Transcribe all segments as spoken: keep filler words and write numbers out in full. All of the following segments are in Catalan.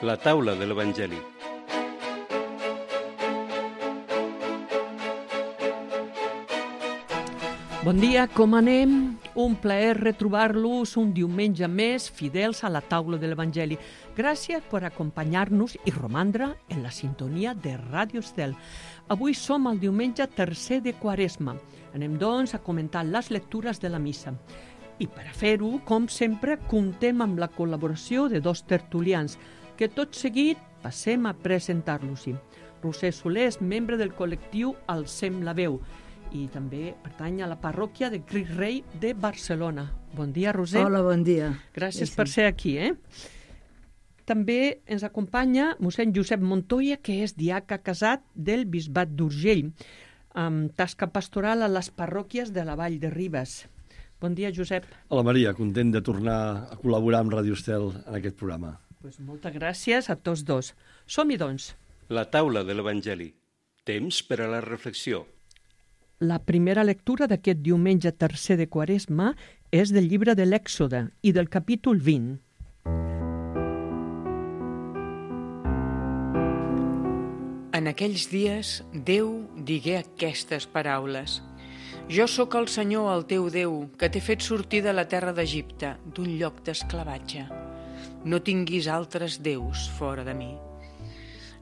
La taula de l'Evangeli. Bon dia, com anem? Un plaer retrobar-los un diumenge més fidels a la taula de l'Evangeli. Gràcies per acompanyar-nos i romandre en la sintonia de Ràdio Estel. Avui som el diumenge tercer de Quaresma. Anem, doncs, a comentar les lectures de la missa. I per a fer-ho, com sempre, comptem amb la col·laboració de dos tertulians, que tot seguit passem a presentar-los-hi. Roser Soler és membre del col·lectiu Alcem la veu i també pertany a la parròquia de Crist Rei de Barcelona. Bon dia, Roser. Hola, bon dia. Gràcies sí. per ser aquí. Eh? També ens acompanya mossèn Josep Montoya, que és diaca casat del Bisbat d'Urgell, amb tasca pastoral a les parròquies de la Vall de Ribes. Bon dia, Josep. Hola, Maria. Content de tornar a col·laborar amb Ràdio Estel en aquest programa. Pues moltes gràcies a tots dos. Som-hi, doncs. La taula de l'Evangeli. Temps per a la reflexió. La primera lectura d'aquest diumenge tercer de Quaresma és del llibre de l'Èxode i del capítol vint. En aquells dies, Déu digué aquestes paraules. Jo sóc el Senyor, el teu Déu, que t'he fet sortir de la terra d'Egipte, d'un lloc d'esclavatge. No tinguis altres déus fora de mi.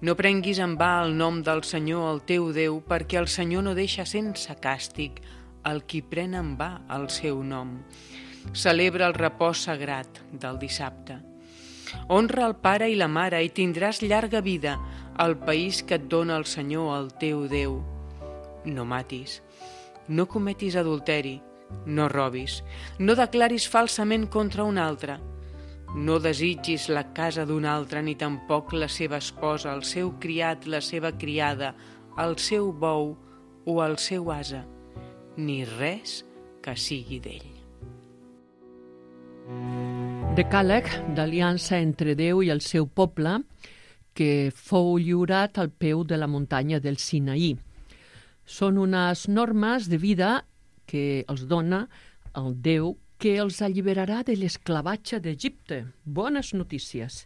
No prenguis en va el nom del Senyor, el teu Déu, perquè el Senyor no deixa sense càstig el qui pren en va el seu nom. Celebra el repòs sagrat del dissabte. Honra el pare i la mare i tindràs llarga vida al país que et dona el Senyor, el teu Déu. No matis, no cometis adulteri, no robis, no declaris falsament contra un altre. No desitgis la casa d'un altre, ni tampoc la seva esposa, el seu criat, la seva criada, el seu bou o el seu ase, ni res que sigui d'ell. Decàleg d'aliança entre Déu i el seu poble, que fou lliurat al peu de la muntanya del Sinaí. Són unes normes de vida que els dona el Déu que els alliberarà de l'esclavatge d'Egipte. Bones notícies.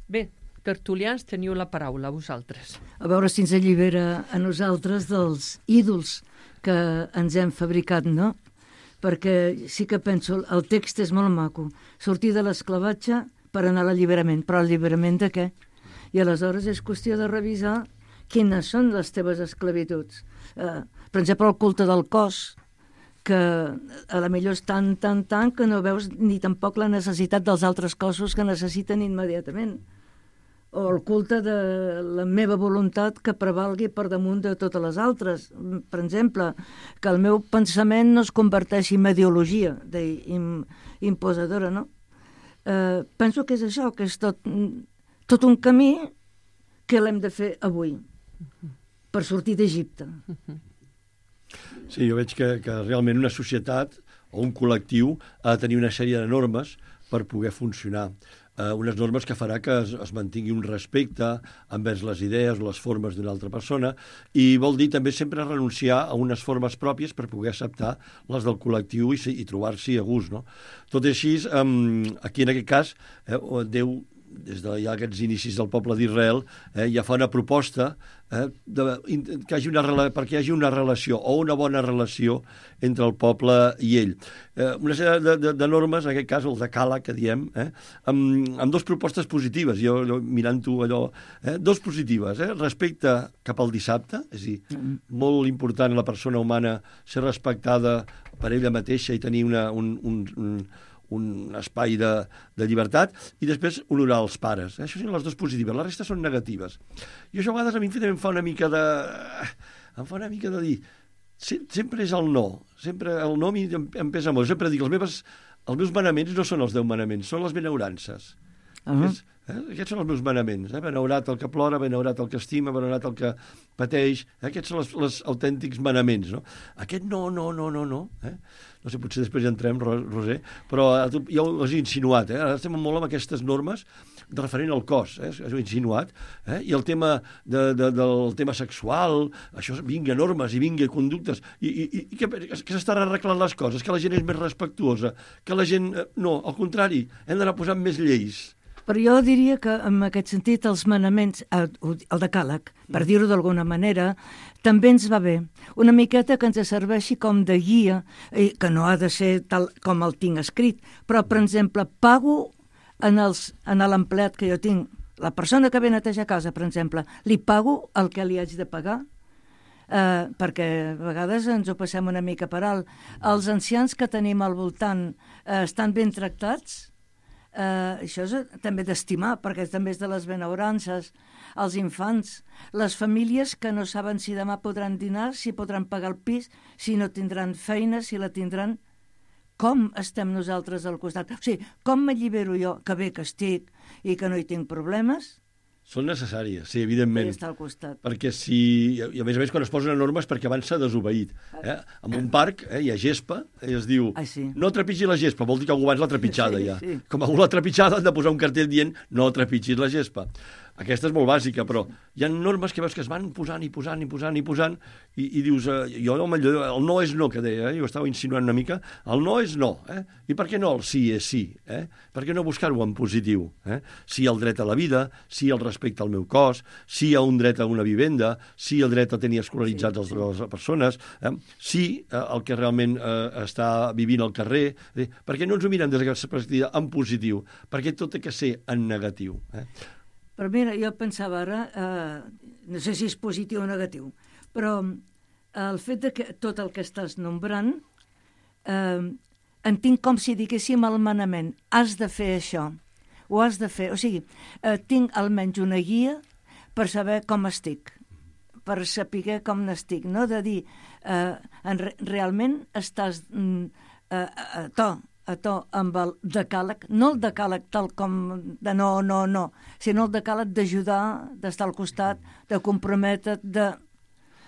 Bé, tertulians, teniu la paraula, vosaltres. A veure si ens allibera a nosaltres dels ídols que ens hem fabricat, no? Perquè sí que penso, el text és molt maco. Sortir de l'esclavatge per anar a l'alliberament. Però l'alliberament de què? I aleshores és qüestió de revisar quines són les teves esclavituds. Eh, per exemple, el culte del cos, que a la millor és tan, tan, tan que no veus ni tampoc la necessitat dels altres cossos que necessiten immediatament. O el culte de la meva voluntat que prevalgui per damunt de totes les altres. Per exemple, que el meu pensament no es converteixi en ideologia imposadora, no? Eh, penso que és això, que és tot, tot un camí que l'hem de fer avui per sortir d'Egipte. Sí, jo veig que, que realment una societat o un col·lectiu ha de tenir una sèrie de normes per poder funcionar. Eh, unes normes que farà que es, es mantingui un respecte envers les idees o les formes d'una altra persona, i vol dir també sempre renunciar a unes formes pròpies per poder acceptar les del col·lectiu i, i trobar-s'hi a gust, no? Tot i així, eh, aquí en aquest cas, eh, Déu, des de ja aquests inicis del poble d'Israel, eh, ja fa una proposta eh, de, que hagi una, perquè hi hagi una relació o una bona relació entre el poble i ell. Eh, una sèrie de, de, de normes, en aquest cas el decàleg que diem, eh, amb, amb dues propostes positives, jo, jo mirant-ho allò, eh, dos positives, eh, respecte cap al dissabte, és a dir, molt important la persona humana ser respectada per ella mateixa i tenir una, un, un, un un espai de, de llibertat, i després honorar els pares. Això són les dues positives, la resta són negatives. I això a vegades a mi em fa una mica de... em fa una mica de dir... Sempre és el no, sempre el no em, em pesa molt. Sempre dic, els, meves, els meus manaments no són els deu manaments, són les benaurances. Uh-huh. És, eh? Aquests són els meus manaments. Eh? Benaurat el que plora, benaurat el que estima, benaurat el que pateix. Eh? Aquests són els, els autèntics manaments. No? Aquest no, no, no, no, no. Eh? No sé, potser després ja entrem, Roser, però jo ho he insinuat, eh? Ara estem molt amb aquestes normes referent al cos, eh? Ho he insinuat, eh? I el tema de, de, del tema sexual, això, vinga normes i vinga conductes, i, i, i que, que s'estan arreglant les coses, que la gent és més respectuosa, que la gent... No, al contrari, hem d'anar posant més lleis. Però jo diria que, en aquest sentit, els manaments, el decàleg, per dir-ho d'alguna manera, també ens va bé. Una miqueta que ens serveixi com de guia, que no ha de ser tal com el tinc escrit, però, per exemple, pago en l'empleat que jo tinc, la persona que ve a netejar casa, per exemple, li pago el que li haig de pagar, eh, perquè a vegades ens ho passem una mica per alt. Els ancians que tenim al voltant eh, estan ben tractats. Uh, això és també d'estimar, perquè també és de les benaurances, els infants, les famílies que no saben si demà podran dinar, si podran pagar el pis, si no tindran feina, si la tindran. Com estem nosaltres al costat? O sigui, com m'allibero jo, que bé que estic i que no hi tinc problemes? Són necessàries, sí, evidentment. Està al costat. Perquè si... I a més a més, quan es posen normes perquè abans s'ha desobeït. Eh? En un parc eh, hi ha gespa i es diu ah, sí. no trepitgi la gespa, vol dir que algú abans l'ha trepitjada sí, ja. Sí. Com algú l'ha trepitjada han de posar un cartell dient no trepitgis la gespa. Aquesta és molt bàsica, però hi ha normes que veus que es van posant i posant i posant i posant i, i dius, eh, jo no, el no és no, que deia, eh? Jo estava insinuant una mica, el no és no, eh? I per què no el sí és sí? Eh? Per què no buscar-ho en positiu? Eh? Sí al dret a la vida, sí al respecte al meu cos, sí a un dret a una vivenda, sí al dret a tenir escolaritzats sí, sí. les persones, eh? sí eh, el que realment eh, està vivint al carrer, eh? Per què no ens ho mirem des d'aquesta perspectiva en positiu? Perquè tot té que ser en negatiu. Eh? Però mira, jo pensava ara, eh, no sé si és positiu o negatiu, però el fet de que tot el que estàs nombrant, eh, en tinc com si diguéssim el manament, has de fer això, ho has de fer. O sigui, eh, tinc almenys una guia per saber com estic, per saber com n'estic, no? De dir, eh, en, realment estàs mm, eh, a to, a to amb el decàleg, no el decàleg tal com de no, no, no, sinó el decàleg d'ajudar, d'estar al costat, de comprometre't, de...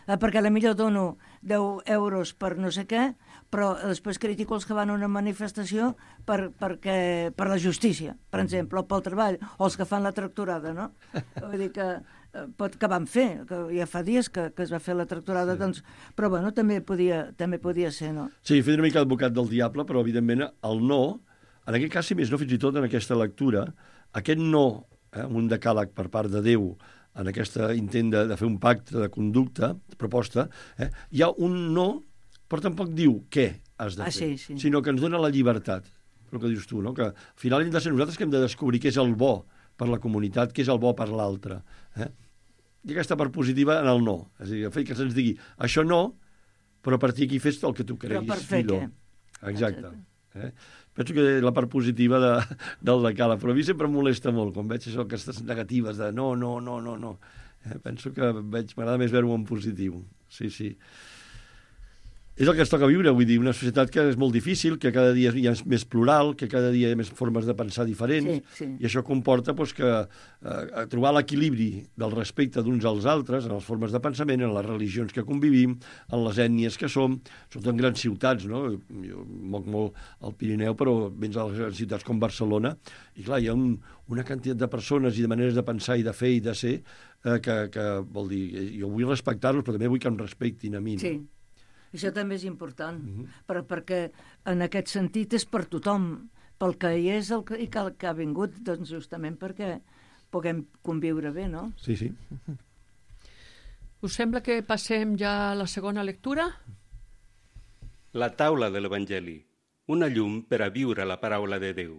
Eh, perquè potser dono deu euros per no sé què, però després critico els que van a una manifestació per, perquè, per la justícia, per exemple, o pel treball, o els que fan la tractorada, no? Vull dir que, eh, pot, que van fer, que ja fa dies que, que es va fer la tractorada, sí. Doncs, però bueno, també podia, també podia ser, no? Sí, he fet una mica advocat del diable, però evidentment el no, en aquest cas, si més no, fins i tot en aquesta lectura, aquest no, eh, un decàleg per part de Déu, en aquest intent de, de fer un pacte de conducta, de proposta, eh, hi ha un no, però tampoc diu què has de ah, fer, sí, sí. sinó que ens dona la llibertat, el que dius tu, no? Que al final hem de ser nosaltres que hem de descobrir què és el bo per la comunitat, què és el bo per l'altre. Eh? I aquesta part positiva en el no. És a dir, el fet que se'ns digui això no, però a partir d'aquí fes el que tu creguis. Però per fer millor. què? Exacte. Eh? Penso que la part positiva de, del decàleg, però a mi sempre em molesta molt quan veig això, aquestes negatives de no, no, no, no, no. Eh? Penso que veig, m'agrada més veure-ho en positiu. Sí, sí. És el que ens toca viure, vull dir, una societat que és molt difícil, que cada dia hi ha més plural, que cada dia hi ha més formes de pensar diferents, sí, sí. I això comporta doncs, que eh, trobar l'equilibri del respecte d'uns als altres, en les formes de pensament, en les religions que convivim, en les ètnies que som, sobretot en grans ciutats, no? Jo moc molt al Pirineu, però vens a les grans ciutats com Barcelona, i clar, hi ha un, una quantitat de persones i de maneres de pensar i de fer i de ser eh, que, que vol dir, jo vull respectar-los, però també vull que em respectin a mi. No? Sí. Això també és important, uh-huh. per, perquè en aquest sentit és per tothom, pel que hi és el que, i que, el que ha vingut, doncs justament perquè puguem conviure bé, no? Sí, sí. Uh-huh. Us sembla que passem ja a la segona lectura? La taula de l'Evangeli, una llum per a viure la paraula de Déu.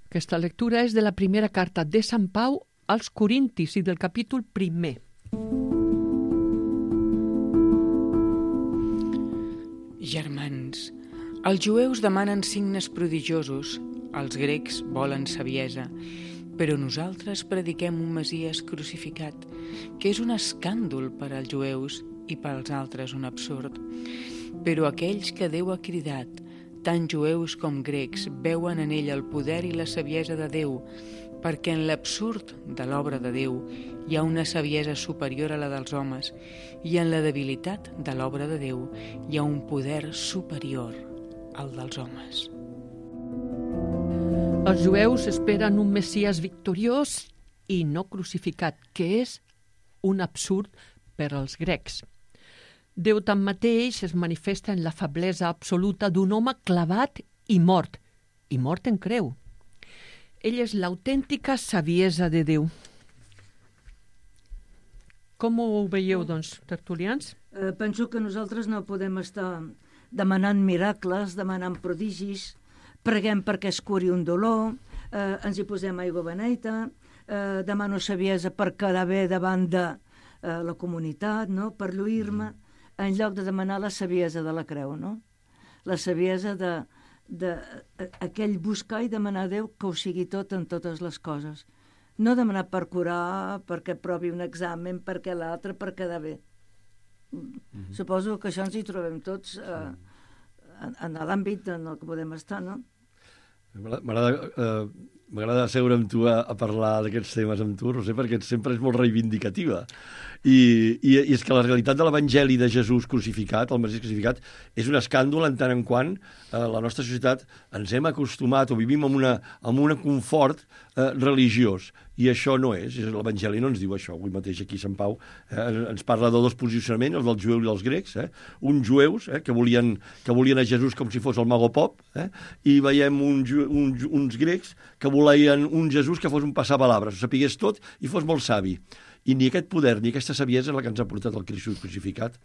Aquesta lectura és de la primera carta de Sant Pau als Corintis i del capítol primer. Germans, els jueus demanen signes prodigiosos, els grecs volen saviesa, però nosaltres prediquem un Messies crucificat, que és un escàndol per als jueus i pels altres un absurd. Però aquells que Déu ha cridat, tant jueus com grecs, veuen en ell el poder i la saviesa de Déu, perquè en l'absurd de l'obra de Déu hi ha una saviesa superior a la dels homes i en la debilitat de l'obra de Déu hi ha un poder superior al dels homes. Els jueus esperen un Messies victoriós i no crucificat, que és un absurd per als grecs. Déu tanmateix es manifesta en la feblesa absoluta d'un home clavat i mort, i mort en creu. Ell és l'autèntica saviesa de Déu. Com ho veieu, doncs, tertulians? Eh, penso que nosaltres no podem estar demanant miracles, demanant prodigis, preguem perquè es curi un dolor, eh, ens hi posem aigua beneita, eh, demano saviesa per quedar bé davant de eh, la comunitat, no? Per lluir-me, en lloc de demanar la saviesa de la creu, no? La saviesa de, de a, aquell buscar i demanar a Déu que ho sigui tot en totes les coses. No demanar per curar, perquè provi un examen, perquè l'altre, per quedar bé. Mm-hmm. Suposo que això ens hi trobem tots eh, en, en l'àmbit en el que podem estar, no? M'agrada eh, m'agrada seure amb tu a, a parlar d'aquests temes amb tu, Roser, perquè sempre és molt reivindicativa. I, i, i és que la realitat de l'Evangeli de Jesús crucificat, el Mesías crucificat, és un escàndol en tant en quant eh, la nostra societat ens hem acostumat o vivim amb una, amb un confort eh, religiós. I això no és. L'Evangeli no ens diu això. Avui mateix aquí Sant Pau eh, ens parla de dos posicionaments, els dels jueus i dels grecs. Eh? Uns jueus eh, que, volien, que volien a Jesús com si fos el mago pop, eh? I veiem un, un, uns grecs que volien un Jesús que fos un passapalabres, ho sapigués tot i fos molt savi. I ni aquest poder ni aquesta saviesa és la que ens ha portat el Crist crucificat,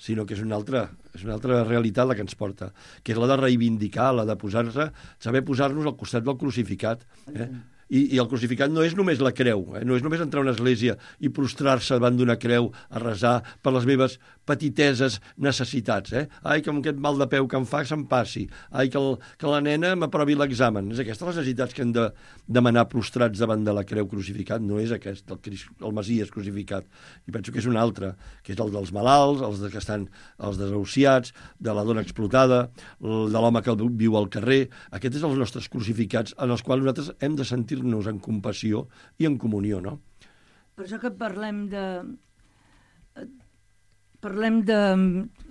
sinó que és una altra, és una altra realitat la que ens porta, que és la de reivindicar, la de posar-se, saber posar-nos al costat del crucificat. Eh? I, I el crucificat no és només la creu, eh? No és només entrar a una església i prostrar-se davant d'una creu a resar per les meves petiteses necessitats. Eh? Ai, que amb aquest mal de peu que em fa se'm passi. Ai, que, el, que la nena m'aprovi l'examen. És aquestes les necessitats que hem de demanar prostrats davant de la creu crucificat, no és aquest, el, el Mesías crucificat. I penso que és un altre, que és el dels malalts, els de que estan els desahuciats, de la dona explotada, el de l'home que viu al carrer. Aquests són els nostres crucificats en els quals nosaltres hem de sentir nos en compassió i en comunió, no? Per això que parlem de... Parlem de...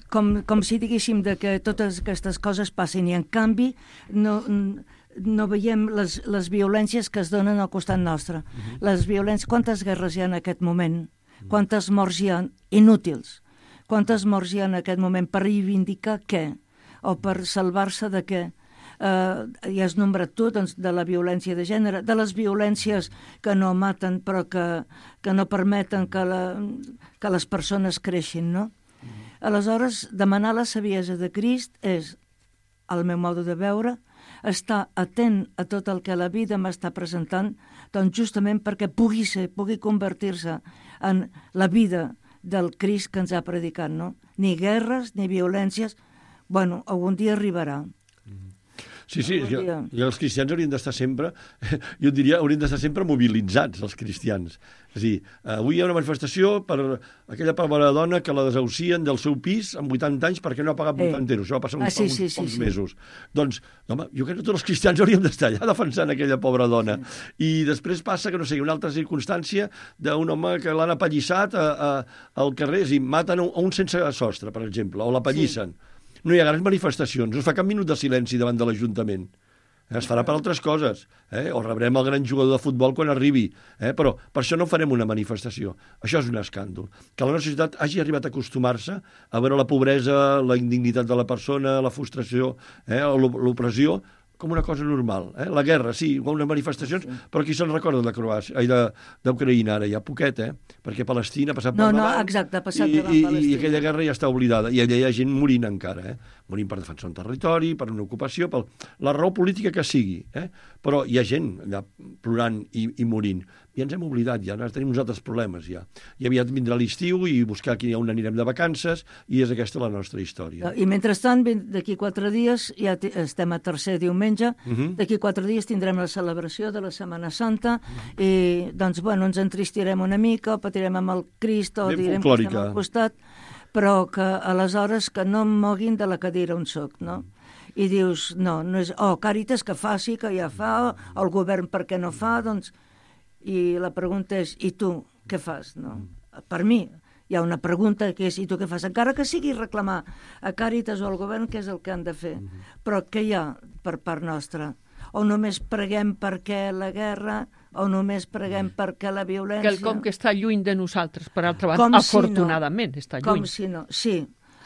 Com, com si diguéssim de que totes aquestes coses passin i en canvi no, no veiem les, les violències que es donen al costat nostre. Uh-huh. Les violències... Quantes guerres hi ha en aquest moment? Uh-huh. Quantes morts hi ha inútils? Quantes morts hi ha en aquest moment per reivindicar què? O per salvar-se de què? Uh, ja has nombrat tu, doncs, de la violència de gènere, de les violències que no maten però que, que no permeten que, la, que les persones creixin, no? Mm. Aleshores, demanar la saviesa de Crist és, al meu modo de veure, estar atent a tot el que la vida m'està presentant, doncs justament perquè pugui ser, pugui convertir-se en la vida del Crist que ens ha predicat, no? Ni guerres, ni violències. Bueno, algun dia arribarà. Sí, sí, i, i els cristians haurien d'estar sempre, jo diria, haurien d'estar sempre mobilitzats, els cristians. És a dir, avui hi ha una manifestació per aquella pobra dona que la desahucien del seu pis amb vuitanta anys perquè no ha pagat vuitanta euros. Això va passar uns, ah, sí, sí, uns pocs sí, sí. mesos. Doncs, home, jo crec que tots els cristians hauríem d'estar allà defensant aquella pobra dona. I després passa que, no sé, una altra circumstància d'un home que l'han apallissat a, a, al carrer, és a dir, maten a un sense sostre, per exemple, o l'apallissen. Sí. No hi ha grans manifestacions, no es fa cap minut de silenci davant de l'Ajuntament. Es farà per altres coses, eh? O rebrem el gran jugador de futbol quan arribi, eh? Però per això no farem una manifestació. Això és un escàndol. Que la nostra societat hagi arribat a acostumar-se a veure la pobresa, la indignitat de la persona, la frustració, eh? l'opressió, com una cosa normal. Eh? La guerra, sí, unes manifestacions, sí. Però qui se'n recorda de Croàcia, ai, d'Ucraïna ara? Ja poquet, eh? Perquè Palestina ha passat no, per no, davant, exacte, ha passat i, davant i, Palestina. I aquella guerra ja està oblidada. I allà hi ha gent morint encara, eh? Morint per defensar un territori, per una ocupació, per la raó política que sigui. Eh? Però hi ha gent allà plorant i, i morint. I ens hem oblidat ja, tenim uns altres problemes ja. I aviat vindrà l'estiu i buscar aquí on anirem de vacances i és aquesta la nostra història. I mentrestant, d'aquí quatre dies, ja estem a tercer diumenge, uh-huh. D'aquí quatre dies tindrem la celebració de la Setmana Santa uh-huh. I doncs, bueno, ens entristirem una mica, o patirem amb el Crist, o ben direm folclòrica. Que estem al costat, però que aleshores que no em moguin de la cadira on soc, no? I dius, no, no és, oh, Càritas que faci, que ja fa, o el govern per què no fa, doncs... I la pregunta és, i tu què fas? No? Per mi hi ha una pregunta que és, i tu què fas? Encara que sigui reclamar a Càritas o al govern què és el que han de fer. Però què hi ha per part nostra? O només preguem perquè la guerra, o només preguem perquè la violència... Quelcom que està lluny de nosaltres, per altra banda, afortunadament, si no, està lluny. Com si no, sí.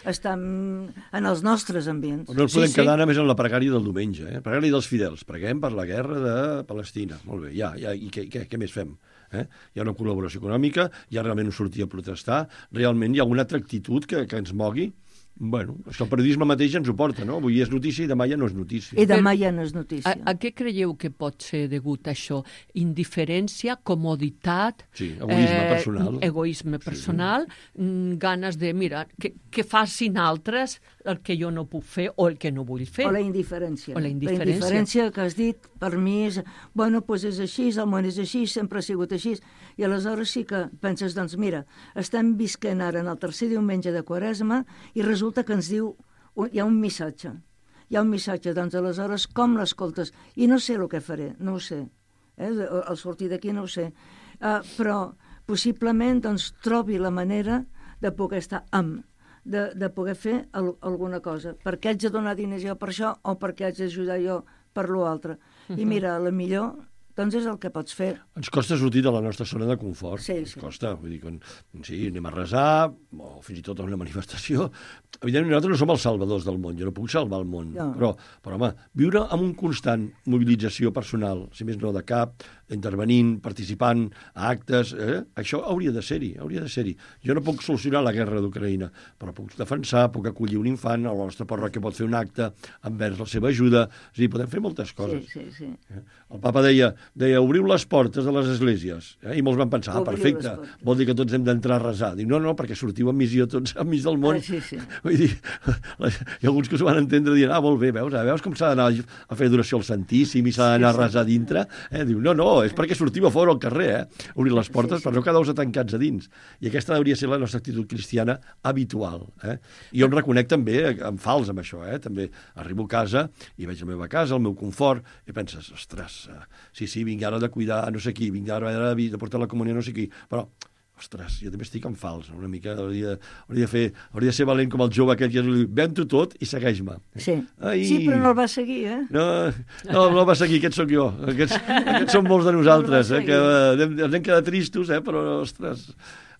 estar en els nostres ambients. No ens podem sí, sí. quedar només en la pregària del diumenge, eh? Pregària dels fidels. Preguem per la guerra de Palestina. Molt bé, ja, ja. I què, què, què més fem? Eh? Hi ha una col·laboració econòmica, hi ha realment un sortir a protestar, realment hi ha alguna altra actitud que, que ens mogui. Bueno, és que el periodisme mateix ens ho porta, no? Avui és notícia i demà ja no és notícia. I demà ja no és notícia. A, a què creieu que pot ser degut a això? Indiferència, comoditat... Sí, egoisme eh, personal. Egoisme personal, sí. ganes de, mira, que, que facin altres el que jo no puc fer o el que no vull fer. O la indiferència. O la indiferència. La indiferència que has dit, per mi, és, bueno, doncs és així, el món és així, sempre ha sigut així. I aleshores sí que penses, doncs mira, estem visquent ara en el tercer diumenge de Quaresma i resulta que ens diu, hi ha un missatge. Hi ha un missatge, doncs aleshores com l'escoltes? I no sé el que faré, no ho sé. Eh? Al sortir d'aquí no ho sé. Uh, però possiblement doncs, trobi la manera de poder estar amb, de, de poder fer al, alguna cosa. Per què haig de donar diners jo per això o per què haig d'ajudar jo per l'altre? Uh-huh. I mira, a la millor doncs és el que pots fer. Ens costa sortir de la nostra zona de confort. Sí, Ens sí. costa. Vull dir, quan, sí, anem a resar, o fins i tot a una manifestació. Evidentment, nosaltres no som els salvadors del món. Jo no puc salvar el món. No. Però, però, home, viure amb un constant mobilització personal, si més no de cap, intervenint, participant a actes, eh? Això hauria de ser-hi, hauria de ser-hi. Jo no puc solucionar la guerra d'Ucraïna, però puc defensar, puc acollir un infant, o la nostra parròquia pot fer un acte envers la seva ajuda. És a dir, podem fer moltes coses. Sí, sí, sí. Eh? El papa deia, deia, obriu les portes de les esglésies. Eh? I molts van pensar, ah, perfecte, vol dir que tots hem d'entrar a resar. Dic, no, no, perquè sortiu en missió tots enmig del món. Ah, sí, sí. Vull dir, hi ha alguns que s'ho van entendre dient, ah, molt bé, veus, ah, veus com s'ha d'anar a fer adoració al Santíssim i s'ha d'anar a resar dintre? Eh? Diu, no, no, és perquè sortiu a fora al carrer, eh? Obrir les portes, sí, sí. Per no quedar-vos tancats a dins. I aquesta hauria de ser la nostra actitud cristiana habitual. Eh? I jo em reconec també en fals amb això. Eh? També arribo a casa i veig la meva casa, el meu confort, i penses, ostres, sí, sí, vinc ara de cuidar no sé qui, vinc ara de, de portar la comunió no sé qui, però ostres, jo també estic en fals, una mica, hauria, hauria, de fer, hauria de ser valent com el jove aquell que diu, ven-t'ho tot i segueix-me. Sí. Ai. Sí, però no el va seguir, eh? No, no, no el va seguir, aquest sóc jo. Aquests, aquests són molts de nosaltres, eh, que ens hem quedat tristos, eh, però, ostres,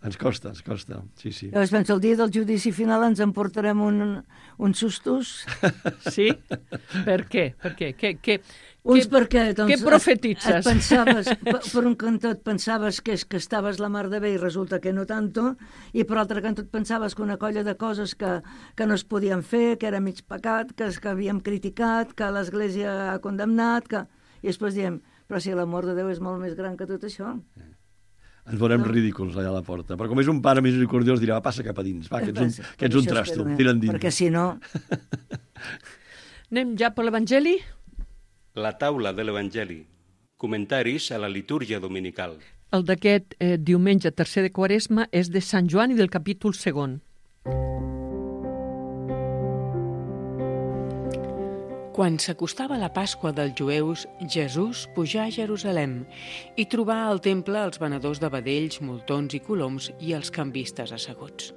ens costa, ens costa, sí, sí. Llavors, penso, el dia del judici final ens emportarem un, uns sustos. Sí? Per què? Per què? què, què Uns què, perquè, doncs, què profetitzes? Et, et pensaves, per, per un cantó et pensaves que, és, que estaves la mar de bé i resulta que no tanto, i per altre cantó et pensaves que una colla de coses que, que no es podien fer, que era mig pecat, que, que havíem criticat, que l'Església ha condemnat, que... i després diem, però si l'amor de Déu és molt més gran que tot això. Ens veurem no. ridículs allà a la porta. Però com és un pare misericordiós, dirà, va, passa cap a dins, va, que ets un, que ets un trasto, tira'n dins. Perquè si no... Anem ja per l'Evangeli? La taula de l'Evangeli. Comentaris a la litúrgia dominical. El d'aquest eh, diumenge tercer de Quaresma és de Sant Joan i del capítol segon. Quan s'acostava la Pasqua dels jueus, Jesús pujà a Jerusalem i trobà al temple els venedors de vedells, moltons i coloms i els canvistes asseguts.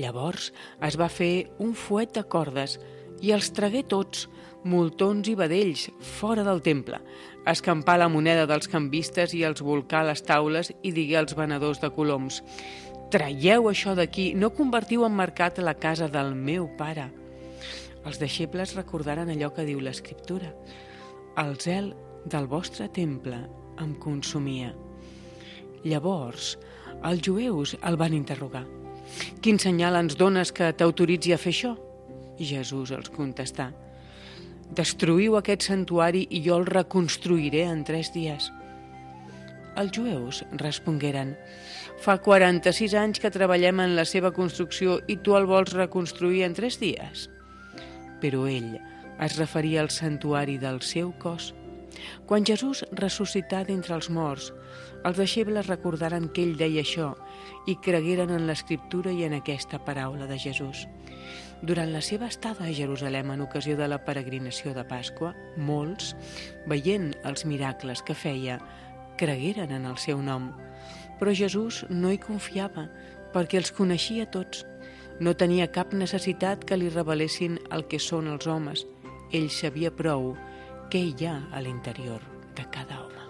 Llavors es va fer un fuet de cordes i els tragué tots, moltons i vedells, fora del temple, escampar la moneda dels canvistes i els volcar a les taules i digué als venedors de coloms: «Traieu això d'aquí, no convertiu en mercat la casa del meu pare». Els deixebles recordaren allò que diu l'Escriptura: «El zel del vostre temple em consumia». Llavors, els jueus el van interrogar: «Quin senyal ens dones que t'autoritzi a fer això?» Jesús els contestà: «Destruïu aquest santuari i jo el reconstruiré en tres dies». Els jueus respongueren: «Fa quaranta-sis anys que treballem en la seva construcció i tu el vols reconstruir en tres dies?» Però ell es referia al santuari del seu cos. Quan Jesús ressuscità d'entre els morts, els deixebles recordaren que ell deia això i cregueren en l'Escriptura i en aquesta paraula de Jesús. Durant la seva estada a Jerusalem en ocasió de la peregrinació de Pasqua, molts, veient els miracles que feia, cregueren en el seu nom. Però Jesús no hi confiava, perquè els coneixia tots. No tenia cap necessitat que li revelessin el que són els homes. Ell sabia prou què hi ha a l'interior de cada home.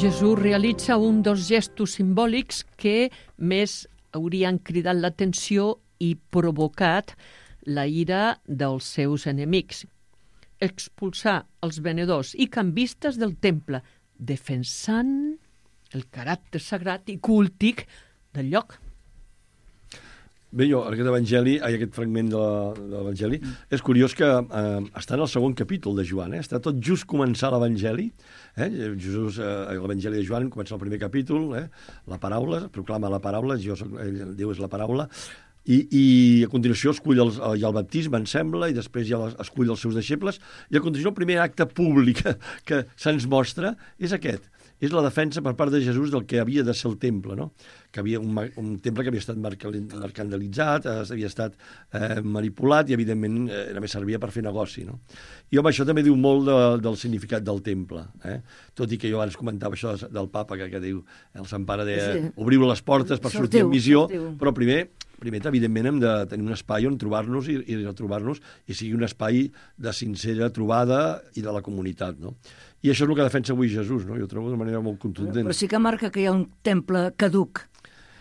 Jesús realitza un dels gestos simbòlics que més haurien cridat l'atenció i provocat la ira dels seus enemics. Expulsar els venedors i canvistes del temple, defensant el caràcter sagrat i cúltic del lloc. Bé, jo, aquest evangeli, ai, aquest fragment de la- de l'evangeli, és curiós que eh, està en el segon capítol de Joan, eh? Està tot just començar l'evangeli, eh? Jesús, eh, l'evangeli de Joan comença el primer capítol, eh? La paraula, proclama la paraula, jo soc, ell, Déu és la paraula, i, i a continuació escull els, hi ha el baptisme, em sembla, i després ja escull els seus deixebles, i a continuació el primer acte públic que, que se'ns mostra és aquest. És la defensa per part de Jesús del que havia de ser el temple, no? Que havia un, un temple que havia estat mercantilitzat, eh, havia estat eh, manipulat i, evidentment, eh, només servia per fer negoci, no? I, home, això també diu molt de, del significat del temple, eh? Tot i que jo abans comentava això del papa, que, que diu, el Sant Pare deia, sí. Obriu les portes per sortir en missió, sortiu. Però primer, primer, evidentment, hem de tenir un espai on trobar-nos i, i retrobar-nos i sigui un espai de sincera trobada i de la comunitat, no? I això és el que defensa avui Jesús, no? Jo ho trobo d'una manera molt contundent. Però sí que marca que hi ha un temple caduc.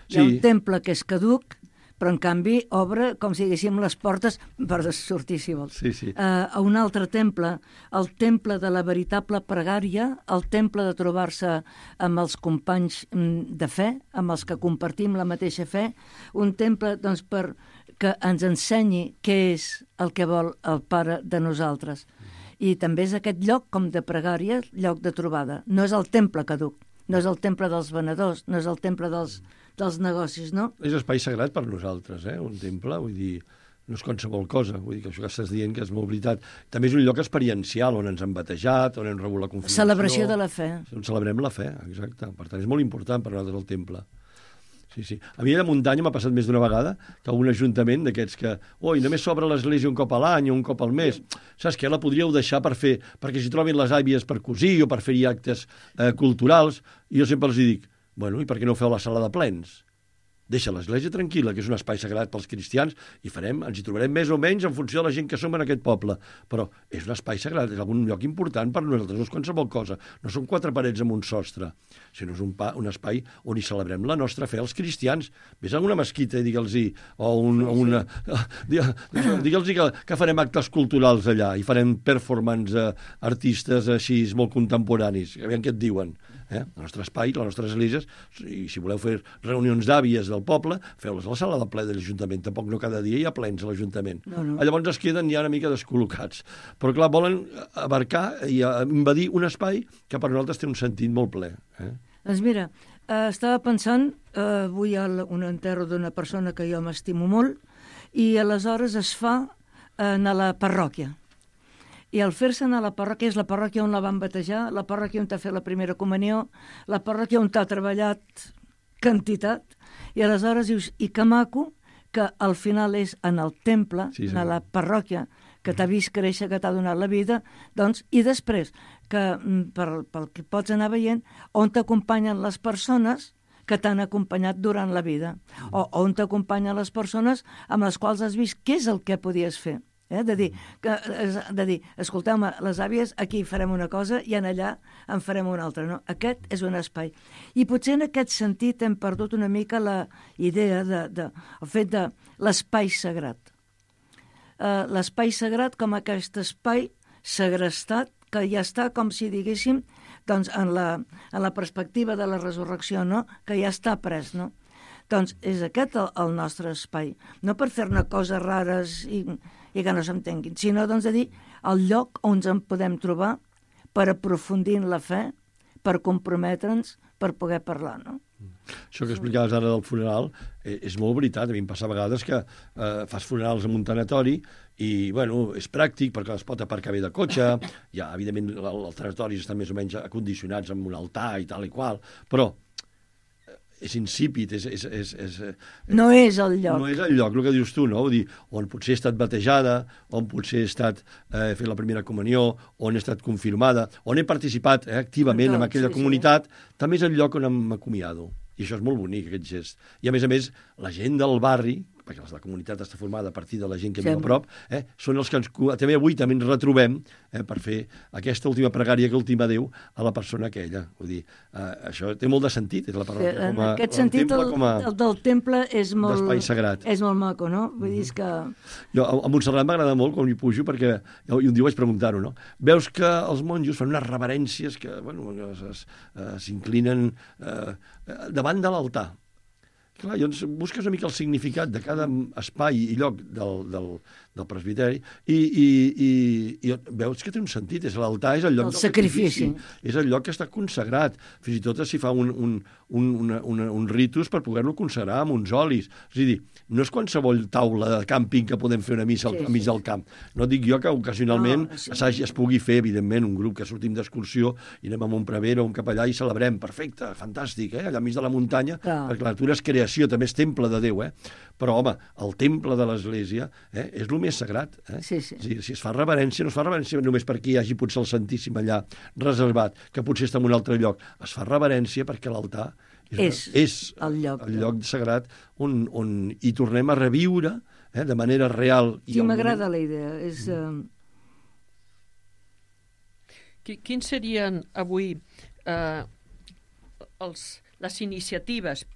Hi Sí. ha un temple que és caduc, però en canvi obre, com si diguéssim, les portes per sortir, si vols. Sí, sí. Uh, a un altre temple, el temple de la veritable pregària, el temple de trobar-se amb els companys mm, de fe, amb els que compartim la mateixa fe, un temple doncs, per que ens ensenyi què és el que vol el Pare de nosaltres. I també és aquest lloc com de pregària, lloc de trobada. No és el temple caduc, no és el temple dels venedors, no és el temple dels, dels negocis, no? És espai sagrat per nosaltres, eh? Un temple, vull dir, no és qualsevol cosa, vull dir que això que estàs dient que és molt veritat. També és un lloc experiencial on ens hem batejat, on hem rebut la confirmació. Celebració de la fe. On celebrem la fe, exacte. Per tant, és molt important per nosaltres el temple. Sí, sí. A mi a la muntanya m'ha passat més d'una vegada que un ajuntament d'aquests que, oi, només s'obre l'església un cop a l'any o un cop al mes. Saps què? La podríeu deixar per fer, perquè s'hi trobin les àvies per cosir o per fer-hi actes eh, culturals. I jo sempre els dic, bueno, i per què no feu la sala de plens? Deixa l'església tranquil·la, que és un espai sagrat pels cristians, i farem, ens hi trobarem més o menys en funció de la gent que som en aquest poble. Però és un espai sagrat, és algun lloc important per nosaltres, no és qualsevol cosa. No són quatre parets amb un sostre, sinó és un, pa, un espai on hi celebrem la nostra fe, els cristians. Ves a una mesquita i digue'ls-hi, o un, una... digue'ls-hi que, que farem actes culturals allà, i farem performance eh, artistes així molt contemporanis, aviam què et diuen. Eh? El nostre espai, les nostres esglésies, i si voleu fer reunions d'àvies del poble, feu-les a la sala de ple de l'Ajuntament. Tampoc no cada dia hi ha plens a l'Ajuntament. No, no. Llavors es queden ja una mica descol·locats. Però clar, volen abarcar i invadir un espai que per nosaltres té un sentit molt ple. Eh? Doncs mira, eh, estava pensant, eh, avui hi ha un enterro d'una persona que jo m'estimo molt, i aleshores es fa eh, a la parròquia. I al fer-se anar a la parròquia, és la parròquia on la van batejar, la parròquia on t'ha fet la primera comunió, la parròquia on t'ha treballat quantitat, i aleshores dius, i que maco, que al final és en el temple, sí, sí, en la parròquia, que t'ha vist créixer, que t'ha donat la vida, doncs, i després, que per, pel que pots anar veient, on t'acompanyen les persones que t'han acompanyat durant la vida, o on t'acompanyen les persones amb les quals has vist què és el que podies fer. Eh? De dir, que, de dir, escolteu-me, les àvies, aquí farem una cosa i en allà en farem una altra. No? Aquest és un espai. I potser en aquest sentit hem perdut una mica la idea, de, de, el fet de l'espai sagrat. Uh, l'espai sagrat com aquest espai segrestat que ja està, com si diguéssim, doncs en la, en la perspectiva de la resurrecció, no? Que ja està pres, no? Doncs és aquest el, el nostre espai. No per fer-ne coses rares i... i que no s'entenguin, sinó doncs, de dir el lloc on ens en podem trobar per aprofundir en la fe, per comprometre'ns, per poder parlar, no? Això que explicaves ara del funeral eh, és molt veritat. A mi em passa a vegades que eh, fas funerals en un tanatori i, bueno, és pràctic perquè es pot aparcar bé de cotxe, ja, evidentment, els tanatoris estan més o menys acondicionats amb un altar i tal i qual, però és insípid, és, és, és, és... No és el lloc. No és el lloc, el que dius tu, no? Vull dir, on potser he estat batejada, on potser he estat eh, fent la primera comunió, on he estat confirmada, on he participat eh, activament en aquella sí, comunitat, sí. També és el lloc on m'acomiado. I això és molt bonic, aquest gest. I, a més a més, la gent del barri, perquè la comunitat està formada a partir de la gent que Sí. viu a prop, eh, són els que ens, també avui també ens retrobem eh, per fer aquesta última pregària que ultima Déu a la persona aquella. Vull dir, eh, això té molt de sentit, és la parròquia En com a, aquest el sentit, temple el, com a el del temple és molt, d'espai sagrat. és molt maco, no? Vull dir, és que... Jo, a a Montserrat m'agrada molt quan hi pujo, perquè jo, i un dia vaig preguntar-ho, no? Veus que els monjos fan unes reverències que, bueno, es- es- eh, s'inclinen eh, davant de l'altar. Clar, llavors busques una mica el significat de cada espai i lloc del, del, del presbiteri i, i, i, i veus que té un sentit. És l'altar és el lloc El del sacrifici. És el lloc que està consagrat. Fins i tot s'hi fa un, un, un, una, una, un ritus per poder-lo consagrar amb uns olis. És a dir, no és qualsevol taula de càmping que podem fer una missa al, Sí, a mig sí. del camp. No dic jo que ocasionalment No, sí. s'hagi- es pugui fer, evidentment, un grup que sortim d'excursió i anem a Montprevera o un cap allà i celebrem. Perfecte, fantàstic, eh? Allà enmig de la muntanya, Clar. perquè la natura és creació, també és temple de Déu, eh? Però, home, el temple de l'Església eh, és el més sagrat. Eh? Sí, sí. Si, si es fa reverència, no es fa reverència només perquè hi hagi potser el Santíssim allà reservat, que potser està en un altre lloc. Es fa reverència perquè l'altar és, És és el lloc. el lloc sagrat on, on hi tornem a reviure eh, de manera real. I Sí, al m'agrada moment- la idea. És, eh, Qui- Quins serien avui eh, els, les iniciatives,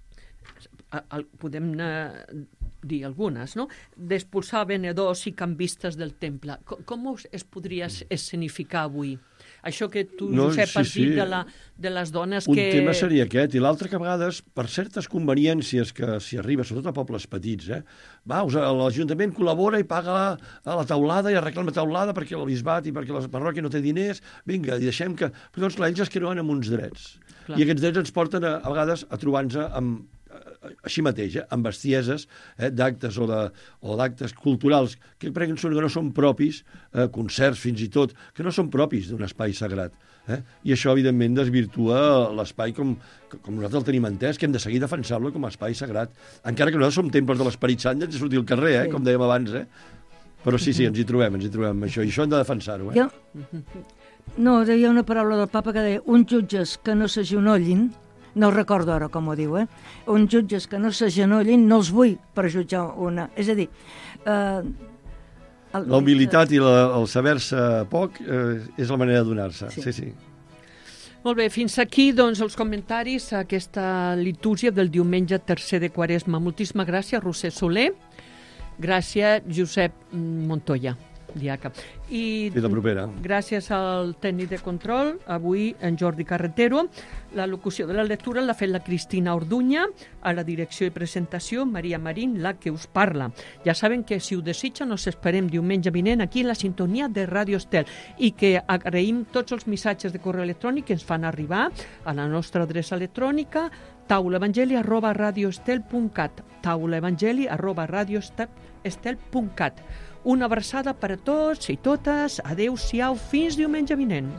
a- al- podem eh, dir algunes, no? D'expulsar venedors i canvistes del temple. Com, com us- es podria es- escenificar avui? Això que tu, No, Josep, sí, has dit sí. de, la, de les dones Un que... tema seria aquest, i l'altre que a vegades, per certes conveniències que s'hi arriba, sobretot a pobles petits, eh? Va, us- l'Ajuntament col·labora i paga a la taulada i arregla la taulada perquè el bisbat i perquè la parròquia no té diners, vinga, i deixem que... Però doncs clar, ells es creuen amb uns drets. Clar. I aquests drets ens porten a, a vegades a trobar-nos amb així mateix, eh, amb bestieses eh, d'actes o de- o d'actes culturals que crec que no són propis, eh, concerts fins i tot, que no són propis d'un espai sagrat. Eh? I això, evidentment, desvirtua l'espai com, com nosaltres el tenim entès, que hem de seguir defensant-lo com a espai sagrat. Encara que nosaltres som temples de l'Esperit Sant i ens de sortir al carrer, eh, Sí. com dèiem abans. Eh? Però sí, sí, ens hi trobem, ens hi trobem amb això, i això hem de defensar-ho. Eh? jo... No, hi ha una paraula del papa que deia uns jutges que no s'agenollin, no recordo ara com ho diu, eh? Uns jutges que no s'agenollin no els vull per jutjar una... És a dir... Eh, el- La humilitat i la, el saber-se poc eh, és la manera de donar-se. Sí. Sí, sí. Molt bé, fins aquí doncs, els comentaris a aquesta litúrgia del diumenge tercer de Quaresma. Moltíssimes gràcies, Roser Soler. Gràcies, Josep Montoya, diaca. I Fins la propera. gràcies al tècnic de control, avui en Jordi Carretero. La locució de la lectura l'ha fet la Cristina Orduña, a la direcció i presentació Maria Marín, la que us parla. Ja saben que si ho desitgen us esperem diumenge vinent aquí a la sintonia de Ràdio Estel i que agraïm tots els missatges de correu electrònic que ens fan arribar a la nostra adreça electrònica taulaevangeli arroba radioestel punt cat taulaevangeli arroba radioestel punt cat. Una abraçada per a tots i totes. Adéu-siau, fins diumenge vinent.